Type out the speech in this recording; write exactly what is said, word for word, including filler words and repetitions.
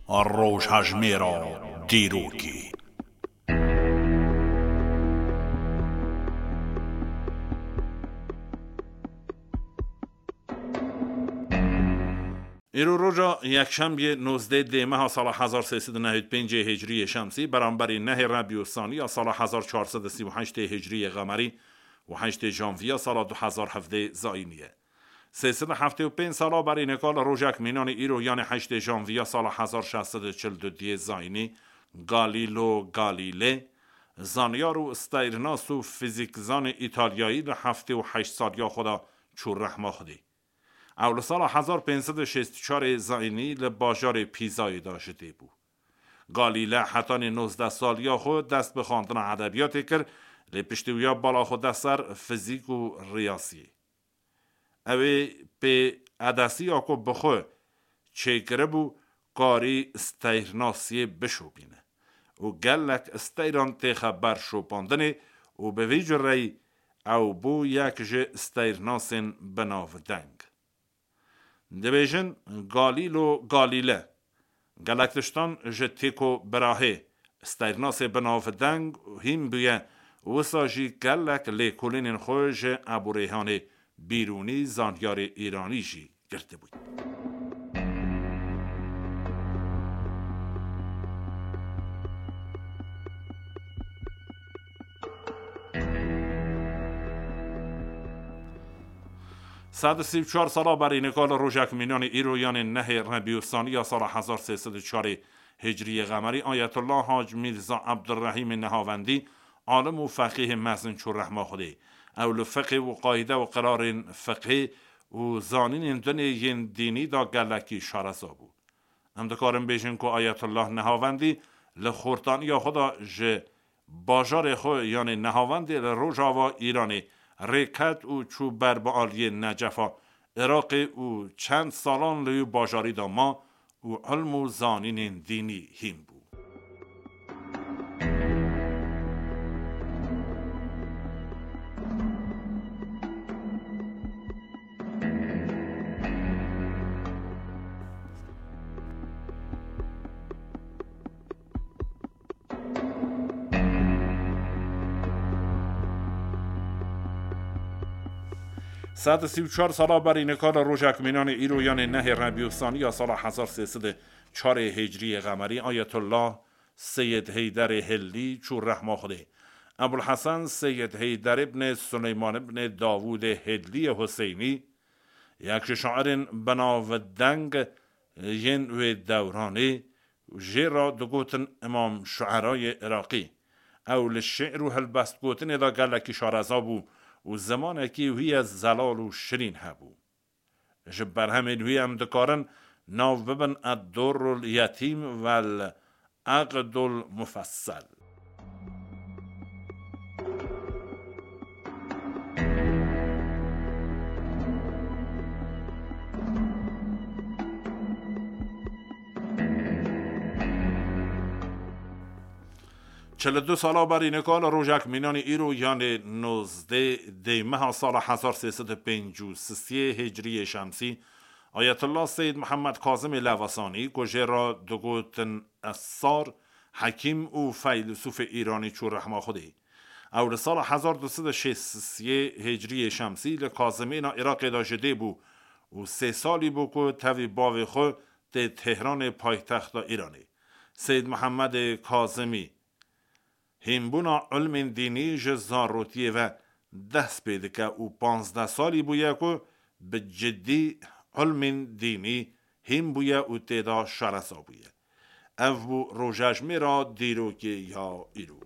Rojhejmêra dîrokê. Îro roja yekşembiyê nozdeh dê meha sala hezar sê sed û nehêd pêncê hicriyê şemsî, beramberî nehê rebî û saniya sala hezar çar sed û sî û heştê hicriyê qemerî û heştê janviya sala du hezar hevdê zayînî ye. Sê sed û heftê û pênc sala berî nika li rojek mînanî îro, yanê heştê janviya sala hezar şeş sed û çil û duyê zayînî, Galîlo Galîlê, zanyar û steyrnas û fîzîkzanê îtalyayî li heftê û heşt saliya xwe de çû rehma Xwedê. Ew li sala hezar pênc sed û şêst û çarê zayînî li bajarê Pîzayê de ji dê bû. Galîle hetanî nozdeh saliya xwe dest bi xwendina edebiyatê kir, lê piştî wiya bala xwe de ser fizîk û riyaziyê. Ew ê pê edesiya ku bi xwe çêkiribû, karî steyrnasiyê bişopîne û gelek steyran têxe ber şopandinê û bi vî cureyî ew bû yek ji steyrnasên binavdeng. Dibêjin Galîlo Galîle gelek tiştan ji Tycho Brahe, steyrnasê binavdeng hîn bûye, wisa jî gelek lêkolînên xwe ji Ebû Rêhanê Bîrûnî, zanyarê îranî jî girtibû. Sed û sî û çar sala berî nika li rojek mînanê îro, yanê nehê rebî û saniya sala hezar sê sed û çarê hicriyê qemerî, Ayetullah Hac Mîrza Ebdurrehîmê Nehavendî, alim û feqîhê mezin çû rehma Xwedê. Ew li fiqê û qayde û qirarên fiqhê û zanînên dinê yên dînî de gelekî şareza bû. Em dikarin bêjin ku Ayetullah Nehavendî li xortaniya xwe de ji bajarê xwe, yanê Nehavendê li rojava Îranê rêket û çû ber bi aliyê Necefa Iraqê û çend salan li wî bajarî de ma û ilm û zanînên dînî hîn bû. Sed û sî û çar sala berî nika li rojek mînanê îro, yanê nehê rebî û saniya sala hezar sê sed û çarê hicriyê qemerî, Ayetullah Seyid Heyderê Hillî çû rehma Xwedê. Ebul Hesen Seyid Heyder ibnê Suleyman ibnê Davûdê Hilliyê Huseynî, yek ji şairên binavdeng yên wê dewranê, jê re digotin Îmam Şuerayê Iraqî. Ew li şi'r û hilbestgotinê de gelekî şareza bû û zimanekî wî ye zelal û şirîn hebû. Ji berhemên wî em dikarin nav bibin Ed-Durrul Yetîm vel Eqdul Mufessel. Çil û du sala berî nika li rojek mînanî îro, yanê nozdeh dê meha sala hezar sê sed û pêncî û sisê hicriyê şemsî, Ayetullah Seyid Mihemed Kazimê Levesanî, ku jê re digotin Essar, hekîm û feylesûfê Îranî çû rehma Xwedê. Ew li sala hezar du sed û şêst û sisê hicriyê şemsî li Kazimêna Iraqê de ji dê bû û sê salî bû ku tevî bavê xwe tê Tehranê paytexta Îranê. Seyid Mihemedê Kazimî hînbûna ilmên dînî ji zarotiyê ve dest pê dike û panzdeh salî bûye ku bi cidî ilmên dînî hîn bûye û tê de şareza bûye. Ev bû rojejmêra dîrokê ya îro.